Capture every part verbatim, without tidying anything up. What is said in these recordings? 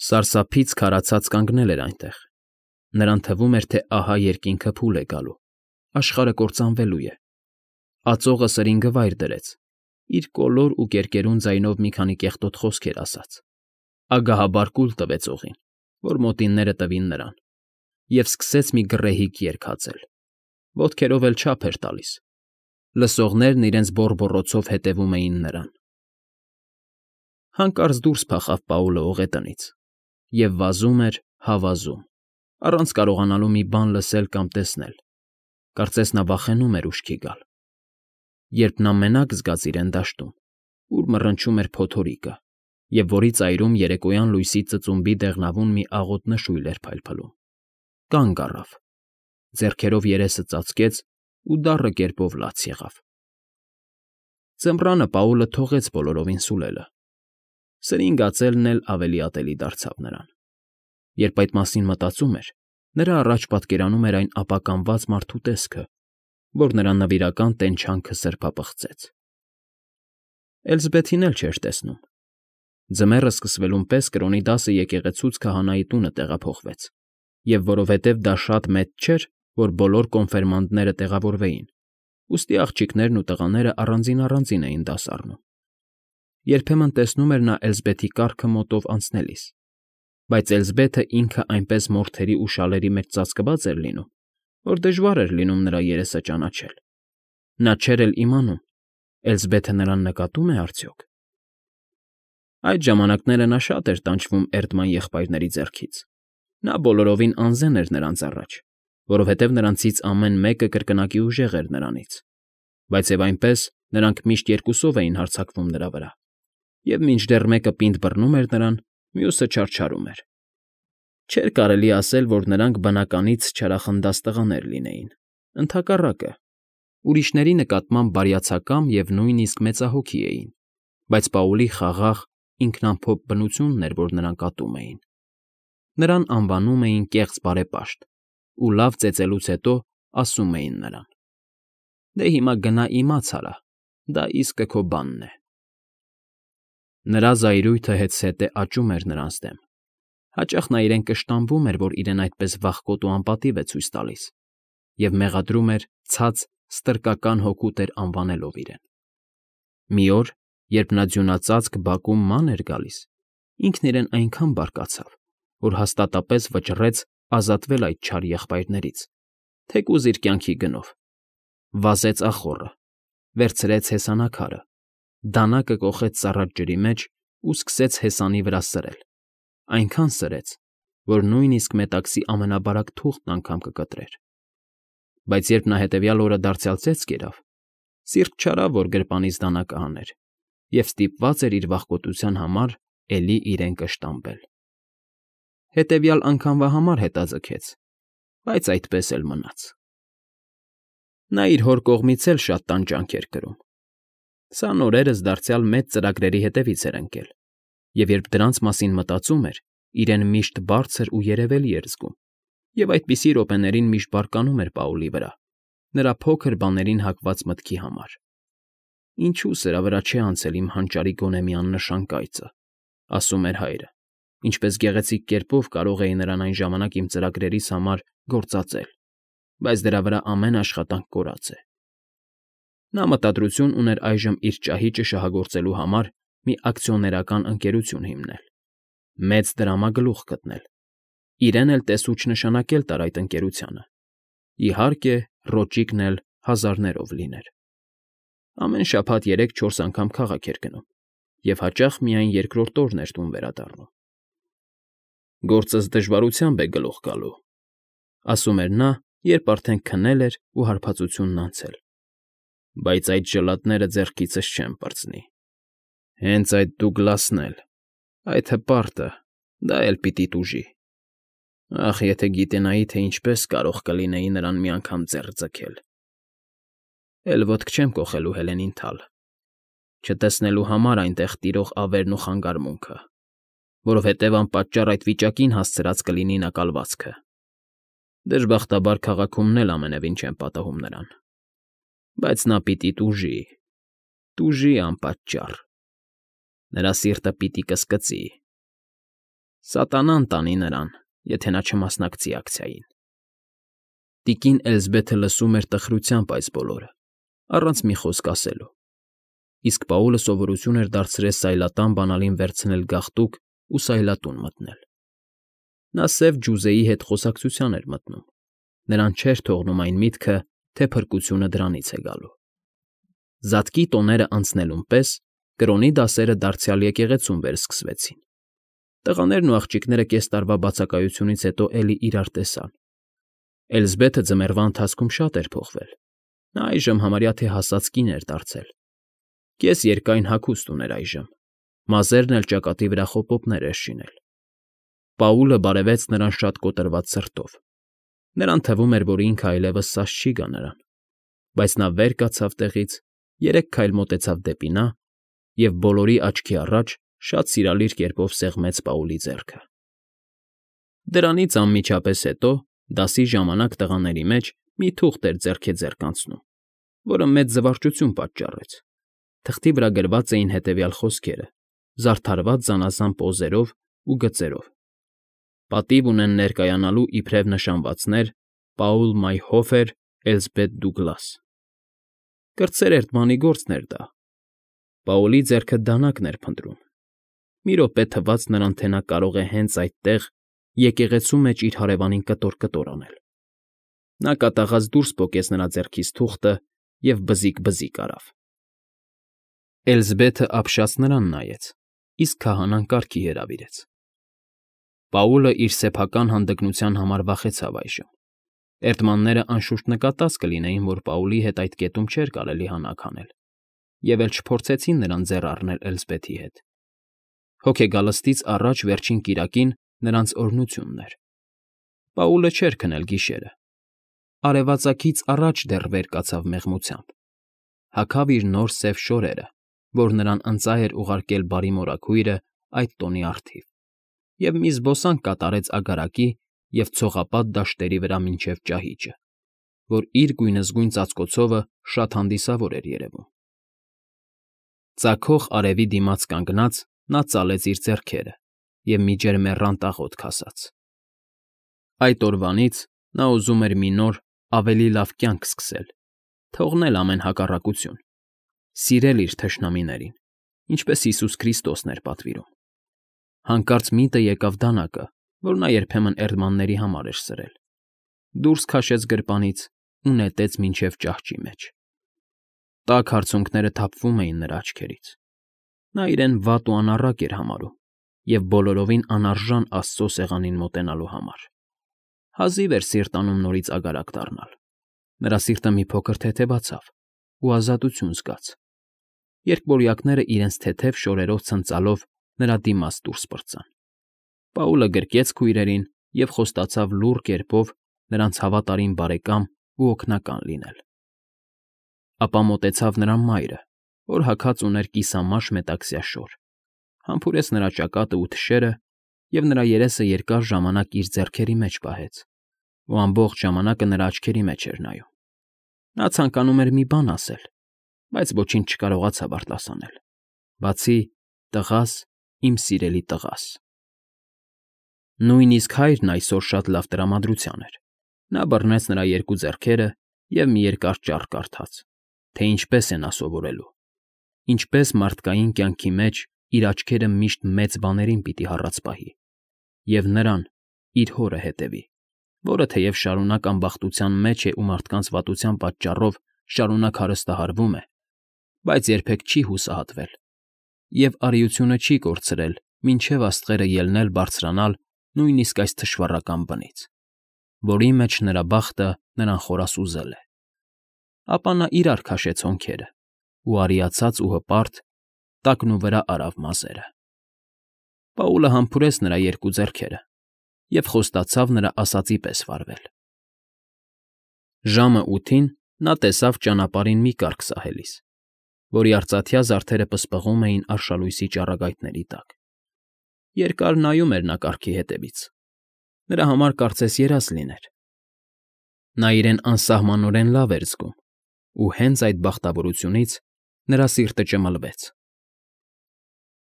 Սարսափից քարացած կանգնել էր այնտեղ, նրան թվում էր, թե ահա երկինքը փուլ է գալու, աշխարհը կործանվելու է, ածողը սրինգը վայր դրեց, իր կոլոր ու կերկերուն ձայնով մի քանի կեղտոտ խոսքեր ասաց, ագահաբար կուլ տվեց օղին, որ մոտինները տվին նրան, և սկսեց մի գռեհիկ երգ հացել, ոտքերով էլ չափ էր տալիս, լսողներն իրենց բոռբոռոցով հետևում էին նրան։ Հանկարծ դուրս փախավ Պաուլը օղետնից և վազում էր հա վազում, առանց կարողանալու մի բան լսել կամ տեսնել, կարծես նա վախենում էր ուշքի գալ, երբ նա մենակ զգաց իրեն դաշտում, ուր մռնչում էր փոթորիկը և որի ծայրում երեկոյան լույսի ծծումբի դեղնավուն մի աղոտ նշույլ էր փայլփլում, կանգ առավ, ձեռքերով երեսը ծածկեց ու դառը կերպով լաց եղավ։ Ձմռանը Պաուլը թողեց բոլորովին սուլելը, սրինգ ածելն էլ ավելի ատելի դարձավ նրան։ Երբ այդ մասին մտածում էր, նրա առաջ պատկերանում էր այն ապականված մարդու տեսքը, որ նրա նվիրական տենչանքը սրբապղծեց։ Էլզբեթին էլ չէր տեսնում։ Ձմեռը սկսվելուն պես կրոնի դասը եկեղեցուց քահանայի տունը տեղափոխվեց, և որովհետև դա շատ մեծ չէր, որ բոլոր կոնֆիրմանդները տեղավորվեին, ուստի աղջիկներն ու տղաները առանձին֊առանձին էին դաս առնում։ Երբեմն տեսնում էր նա Էլզբեթի կառքը մոտով անցնելիս, բայց Էլզբեթը ինքը այնպես մորթերի ու շալերի մեջ ծածկված էր լինում, որ դժվար էր լինում նրա երեսը ճանաչել։ Նա չէր էլ իմանում՝ Էլզբեթը նրան նկատու՞մ է արդյոք։ Այդ ժամանակները նա շատ էր տանջվում Էրդման եղբայրների ձեռքից, նա բոլորովին անզեն էր նրանց առաջ, որովհետև նրանցից ամեն մեկը կրկնակի ուժեղ էր նրանից, բայց և այնպես նրանք միշտ երկուսով էին հարձակվում նրա վրա, և մինչդեռ մեկը պինդ բռնում էր նրան, մյուսը չարչարում էր։ Չէր կարելի ասել, որ նրանք բնականից չարախնդաց տղաներ լինեին, ընդհակառակը, ուրիշների նկատմամբ բարյացակամ և նույնիսկ մեծահոգի էին, բայց Պաուլի խաղաղ, ինքնամփոփ բնությունն էր, որ նրանք ատում էին։ Նրան անվանում էին կեղծ բարեպաշտ ու լավ ծեծելուց հետո ասում էին նրան. «Դե հիմա գնա իմաց արա, դա իսկը քո բանն է»։ Նրա զայրույթը հետզհետե աճում էր նրանց դեմ, հաճախ նա իրեն կշտամբում էր, որ իրեն այդպես վախկոտ ու անպատիվ է ցույց տալիս, և մեղադրում էր ցած ստրկական հոգու տեր անվանելով իրեն։ Մի օր, երբ նա ձյունածածկ բակում ման էր գալիս, ինքն իրեն այնքան բարկացավ, որ հաստատապես վճռեց ազատվել այդ չար եղբայրներից, թեկուզ իր կյանքի գնով, վազեց ախոռը, վերցրեց հեսանաքարը, դանակը կոխեց ծառատ ջրի մեջ ու սկսեց հեսանի վրա սրել, այնքան սրեց, որ նույնիսկ մետաքսի ամենաբարակ թուղթն անգամ կկտրեր։ Բայց երբ նա հետևյալ օրը դարձյալ ծեծք կերավ, սիրտ չարավ, որ գրպանից դանակը հաներ, և ստիպված էր իր վախկոտության համար էլի իրեն կշտամբել։ Հետևյալ անգամվա համար հետաձգեց, բայց այդպես էլ մնաց։ Նա իր հոր կողմից էլ շատ տանջանք էր կրում։ Սա նորերս դարձյալ մեծ ծրագրերի հետևից էր ընկել, և երբ դրանց մասին մտածում էր, իրեն միշտ բարձր ու երևելի էր զգում, և այդպիսի րոպեներին միշտ բարկանում էր Պաուլի վրա, նրա փոքր բաներին հակված մտքի համար։ «Ինչու սրա վրա չէ անցել իմ հանճարի գոնե մի աննշան կայծը», ասում էր հայրը, «ինչպես գեղեցիկ կերպով կարող էի նրան այն ժամանակ իմ ծրագրերիս համար գործածել, բայց դրա վրա ամեն աշխատանք կորած է»։ Նա մտադրություն ուներ այժմ իր ճահիճը շահագործելու համար մի ակցիոներական ընկերություն հիմնել, մեծ դրամագլուխ գտնել, իրեն էլ տեսուչ նշանակել տար այդ ընկերությանը, իհարկե, ռոճիկն էլ հազարներով լիներ։ Ամեն շաբաթ երեք֊չորս անգամ քաղաք էր գնում և հաճախ միայն երկրորդ օրն էր տուն վերադառնում։ «Գործս դժվարությամբ է գլուխ գալու», ասում էր նա, երբ արդեն քնել էր ու հարբածությունն անցել, «բայց այդ ժլատները ձեռքիցս չեմ պրծնի։ Հենց այդ Դուգլասն էլ, այդ հպարտը, դա էլ պիտի տուժի։ Ախ, եթե գիտենայի, թե ինչպես կարող կլինեի նրան մի անգամ ձեռք ձգել։ Էլ ոտք չեմ կոխելու Հելենին թալ, չտեսնելու համար այնտեղ տիրող ավերն ու խանգարմունքը, որովհետև անպատճառ այդ վիճակին հասցրած կլինի նա կալվածքը։ Դժբախտաբար քաղաքումն էլ ամենևին չեմ պատահում նրան, բայց նա պիտի տուժի, տուժի անպատճառ, նրա սիրտը պիտի կսկծի։ Սատանան տանի նրան, եթե նա չմասնակցի ակցիային։ Տիկին Էլզբեթը լսում էր տխրությամբ այս բոլորը, առանց մի խոսք ասելու, իսկ Պաուլը սովորություն էր դարձրել սայլատան բանալին վերցնել գաղտուկ ու սայլատուն մտնել։ Նա սև ջուզեի հետ խոսակցության էր մտնում, նրան չէր թողնում այն միտքը, թե փրկությունը դրանից է գալու։ Զատկի տոները անցնելուն պես կրոնի դասերը դարձյալ եկեղեցում վերսկսվեցին։ Տղաներն ու աղջիկները կես տարվա բացակայությունից հետո էլի իրար տեսան։ Էլզբեթը ձմեռվա ընթացքում շատ էր փոխվել։ Նա այժմ համարյա թե հասած կին էր դարձել։ Կես երկայն հագուստ ուներ այժմ, մազերն էլ ճակատի վրա խոպոպներ էր շինել։ Պաուլը բարևեց նրան շատ կոտրված սրտով։ Նրան թվում էր, որ ինքը այլևս սաս չի գա նրան, բայց նա վեր կացավ տեղից, երեք քայլ մոտեցավ դեպի նա և բոլորի աչքի առաջ շատ սիրալիր կերպով սեղմեց Պաուլի ձեռքը։ Դրանից անմիջապես հետո դասի ժամանակ տղաների մեջ մի թուղթ էր ձեռքեձեռք անցնում, որը մեծ զվարճություն պատճառեց։ Թղթի վրա գրված էին հետևյալ խոսքերը, զարդարված զանազան պոզերով ու գծերով. «Պատիվ ունեն ներկայանալու իբրև նշանվածներ Պաուլ Մայրհոֆեր, Էլզբեթ Դուգլաս»։ Կրտսեր Էրդմանի գործն էր դա։ Պաուլի ձեռքը դանակն էր փնտրում։ Մի րոպե թվաց նրան, թե նա կարող է հենց այդտեղ, եկեղեցու մեջ իր հարևանին կտոր֊կտոր անել։ Նա կատաղած դուրս պոկեց նրա ձեռքից թուղթը և բզիկ֊բզիկ արավ։ Էլզբեթը ապշած նրան նայեց, իսկ քահանան կառքի հրավիրեց։ Պաուլը իր սեփական հանդգնության համար վախեցավ այժմ։ Էրդմանները անշուշտ նկատած կլինեին, որ Պաուլի հետ այդ կետում չէր կարելի հանակ անել, և էլ չփորձեցին նրան ձեռ առնել Էլզբեթի հետ։ Հոգեգալստից առաջ վերջին կիրակին նրանց օրհնությունն էր։ Պաուլը չէր քնել գիշերը։ Արևածագից առաջ դեռ վեր կացավ մեղմությամբ։ Հագավ իր նոր սև շորերը, որ նրան ընծա էր ուղարկել բարի մորաքույրը այդ տոնի առթիվ, և մի զբոսանք կատարեցագարակի և ցողապատ դաշտերի վրա մինչև ճահիճը, որ իր գույնզգույն ծածկոցովը շատ հանդիսավոր էր երևում։ Ծագող արևի դիմաց կանգնած՝ նա ծալեց իր ձեռքերը և մի ջերմեռանդ աղոթք ասաց։ Այդ օրվանից նա ուզում էր մի նոր, ավելի լավ կյանք սկսել, թողնել ամեն հակառակություն, սիրել իր թշնամիներին, ինչպես Հիսուս Քրիստոսն էր պատվիրում։ Հանկարծ միտը եկավ դանակը, որ նա երբեմն էրդմանների համար էր սրել, դուրս քաշեց գրպանից ու նետեց մինչև ճահճի մեջ։ Տաք արցունքները թափվում էին նրա աչքերից։ Նա իրեն վատ ու անառակ էր համարում և բոլորովին անարժան Աստծո սեղանին մոտենալու համար։ Հազիվ էր սիրտ անում նորից ագարակ դառնալ։ Նրա սիրտը մի փոքր թեթևացավ ու ազատություն զգաց։ Երկվորյակները իրենց թեթև շորերով ցնծալով նրա դիմաց դուրս պրծան։ Պաուլը գրկեց քույրերին և խոստացավ լուռ կերպով նրանց հավատարիմ բարեկամ ու օգնական լինել։ Ապա մոտեցավ նրա մայրը, որ հագած ուներ կիսամաշ մետաքսյա շոր, համբուրեց նրա ճակատն ու թշերը և նրա երեսը երկար ժամանակ իր ձեռքերի մեջ պահեց, ու ամբողջ ժամանակը նրա աչքերի մեջ էր նայում։ Նա ցանկանում էր մի բան ասել, բայց ոչինչ չկարողացավ արտասանել, բացի «տղաս, իմ սիրելի տղաս»։ Նույնիսկ հայրն այսօր շատ լավ տրամադրության էր։ Նա բռնեց նրա երկու ձեռքերը և մի երկար ճառ կարդաց, թե ինչպես է նա սովորելու, ինչպես մարդկային կյանքի մեջ իր աչքերը միշտ մեծ բաներին պիտի հառած պահի, և նրան՝ իր հորը հետևի, որը թեև շարունակ ամբախտության մեջ է ու մարդկանց վատության պատճառով շարունակ հարստահարվում է, բայց երբեք չի հուսահատվել և արիությունը չի կորցրել մինչև աստղերը ելնել բարձրանալ նույնիսկ այս թշվառական բնից, որի մեջ նրա բախտը նրան խորասուզել է։ Ապա նա իրար քաշեց հոնքերը ու արիացած ու հպարտ տակնուվրա արավ մազերը։ Պաուլը համբուրեց նրա երկու ձեռքերը և խոստացավ նրա ասածի պես վարվել։ Ժամը ութին նա տեսավ ճանապարհին մի կառք սահելիս, որի արծաթյա զարդերը պսպղում էին արշալույսի ճառագայթների տակ։ Երկար նայում էր նա կառքի հետևից։ Նրա համար կարծես երազ լիներ։ Նա իրեն անսահմանորեն լավ էր զգում, ու հենց այդ բախտավորությունից նրա սիրտը ճմլվեց։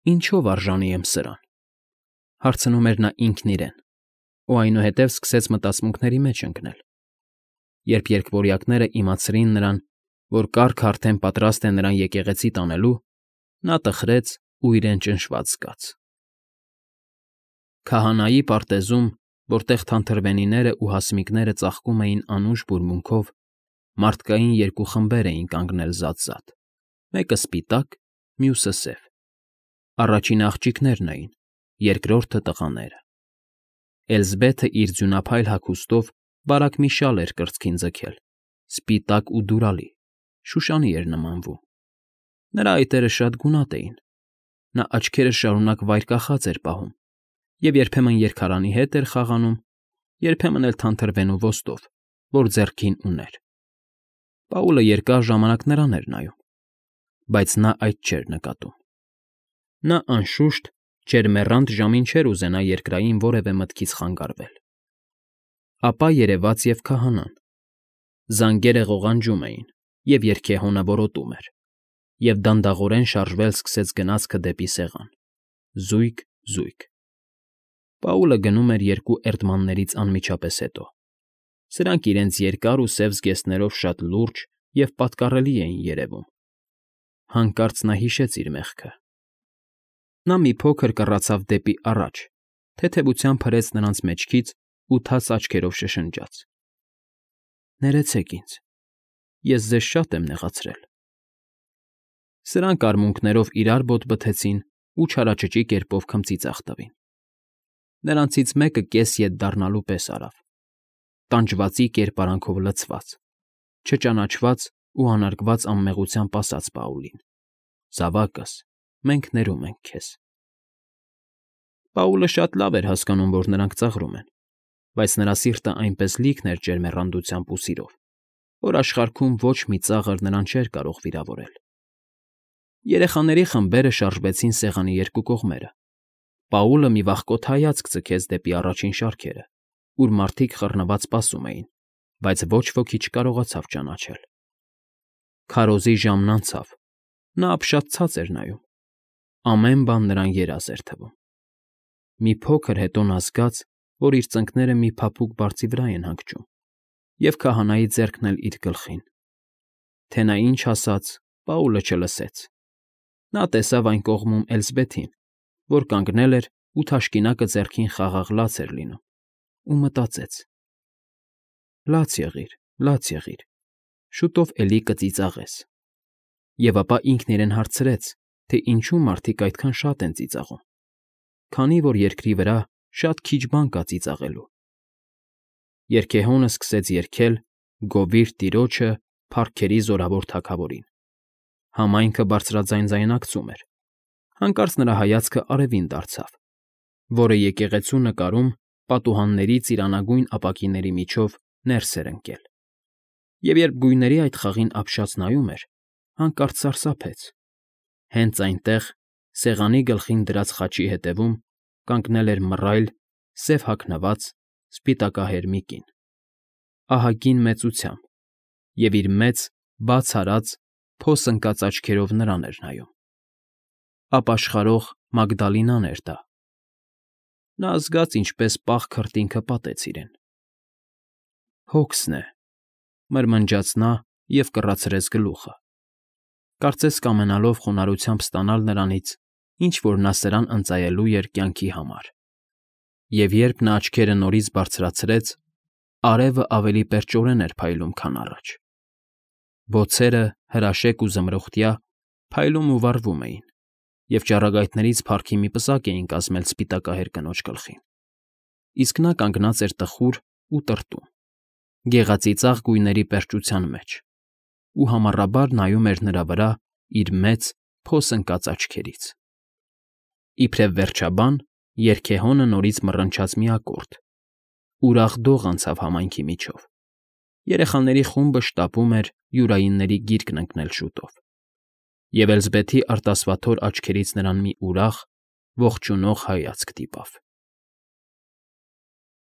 Ինչո՞վ արժանի եմ սրան։ Հարցնում էր նա ինքն իրեն, ու այնուհետև սկսեց մտածմունքների մեջ ընկնել։ Երբ երկվորյակները իմացրին նրան, որ կառքը արդեն պատրաստ է նրան եկեղեցի տանելու, նա տխրեց ու իրեն ճնշված զգաց։ Քահանայի պարտեզում, որտեղ թանթրվենիներն ու հասմիկները ծաղկում էին անուշ բուրմունքով, մարդկային երկու խմբեր էին կանգնել զատ֊զատ, մեկը սպիտակ, մյուսը սև։ Առաջինը աղջիկներն էին, երկրորդը տղաները։ Էլզբեթը իր ձյունափայլ հագուստով բարակ մի շալ էր կրծքին ձգել, սպիտակ ու դուրալի, շուշանի էր նմանվում։ Նրա այտերը շատ գունատ էին։ Նա աչքերը շարունակ վայր կախած էր պահում և երբեմն երգարանի հետ էր խաղանում, երբեմն էլ թանթրվենու ոստով, որ ձեռքին ուներ։ Պաուլը երկար ժամանակ նրան էր նայում, բայց նա այդ չէր նկատում։ Նա, անշուշտ, ջերմեռանդ ժամին չէր ուզենա երկրային որևէ մտքից խանգարվել։ Ապա երևաց և քահանան։ Զանգերը ղողանջում էին, և երգեհոնը որոտում էր, և դանդաղորեն շարժվել սկսեց գնացքը դեպի սեղան՝ զույգ, զույգ։ Պաուլը գնում էր երկու էրդմաններից անմիջապես հետո։ Սրանք իրենց երկար ու սև զգեստներով շատ լուրջ և պատկառելի էին երևում։ Հանկարծ նա հիշեց իր մեղքը։ Նա մի փոքր կռացավ դեպի առաջ, թեթևությամբ հրեց նրանց մեջքից ու թաց աչքերով շշնջաց. «Ներեցեք ինձ, ես ձեզ շատ եմ նեղացրել»։ Սրանք արմունկներով իրար բոտ բթեցին ու չարաճճի կերպով քմծիծաղ տվին։ Նրանցից մեկը կես ետ դառնալու պես արավ, տանջվածի կերպարանքով լցված, չճանաչված ու անարգված անմեղությամբ ասաց Պաուլին. «Զավակս, մենք ներում ենք քեզ»։ Պաուլը շատ լավ էր հասկանում, որ նրանք ծաղրում են, բայց նրա սիրտը այնպես լիքն էր ջերմեռանդությամբ ու սիրով, որ աշխարհում ոչ մի ծաղր նրան չէր կարող վիրավորել։ Երեխաների խմբերը շարժվեցին սեղանի երկու կողմերը։ Պաուլը մի վախկոտ հայացք ձգեց դեպի առաջին շարքերը, ուր մարդիկ խռնված սպասում էին, բայց ոչ ոքի չկարողացավ ճանաչել։ Քարոզի ժամն անցավ, նա ապշած էր նայում։ Ամեն բան նրան երազ էր թվում։ Մի փոքր հետո նա զգաց, որ իր ծնկները մի փափուկ բարձի վրա են հանգչում, և քահանայի ձեռքն էլ իր գլխին։ Թե նա ինչ ասաց, Պաուլը չլսեց։ Նա տեսավ այն կողմում Էլզբեթին, որ կանգնել էր ու թաշկինակը ձեռքին խաղաղ լաց էր լինում, ու մտածեց. «Լաց եղիր, լաց եղիր, շուտով էլի կծիծաղես»։ Եվ ապա ինքն իրեն հարցրեց, թե ինչու մարդիկ այդքան շատ են ծիծաղում, քանի որ երկրի վրա շատ քիչ բան կա ծիծաղելու։ Երգեհոնը սկսեց երգել «Գովիր տիրոջը, փառքերի զորավոր թագավորին»։ Համայնքը բարձրաձայն ձայնակցում էր։ Հանկարծ նրա հայացքը արևին դարձավ, որը եկեղեցու նկարում պատուհանների ծիրանագույն ապակիների միջով ներս էր ընկել։ Եվ երբ գույների այդ խաղին ապշած նայում էր, հանկարծ սարսափեց։ Հենց այնտեղ, սեղանի գլխին դրած խաչի հետևում, կանգնել էր մռայլ, սև հագնված, սպիտակահեր մի կին, ահագին մեծությամբ, և իր մեծ, բաց արած, փոս ընկած աչքերով նրան էր նայում։ Ապաշխարող Մագդալինան էր դա։ Նա զգաց, ինչպես պաղ քրտինքը պատեց իրեն։ «Հոգսն է», մրմնջաց նա և կռացրեց գլուխը, կարծես կամենալով խոնարհությամբ ստանալ նրանից, ինչ որ նա սրան ընծայելու էր կյանքի համար։ Եվ երբ նա աչքերը նորից բարձրացրեց, արևը ավելի պերճորեն էր փայլում, քան առաջ։ Բոցերը, հրաշեկ ու զմրուխտյա, փայլում ու վառվում էին, և ճառագայթներից փառքի մի պսակ էին կազմել սպիտակահեր կնոջ գլխին։ Իսկ նա կանգնած էր տխուր ու տրտում, գեղածիծաղ գույների պերճության մեջ, ու համառաբար նայում էր նրա վրա իր մեծ, փոս ընկած աչքերից։ Իբրև վերջաբան երգեհոնը նորից մռնչաց մի ակորդ։ Ուրախ դող անցավ համայնքի միջով։ Երեխաների խումբը շտապում էր յուրայինների գիրկն ընկնել շուտով։ Եվ Էլզբեթի արտասվաթոր աչքերից նրան մի ուրախ, ողջունող հայացք դիպավ։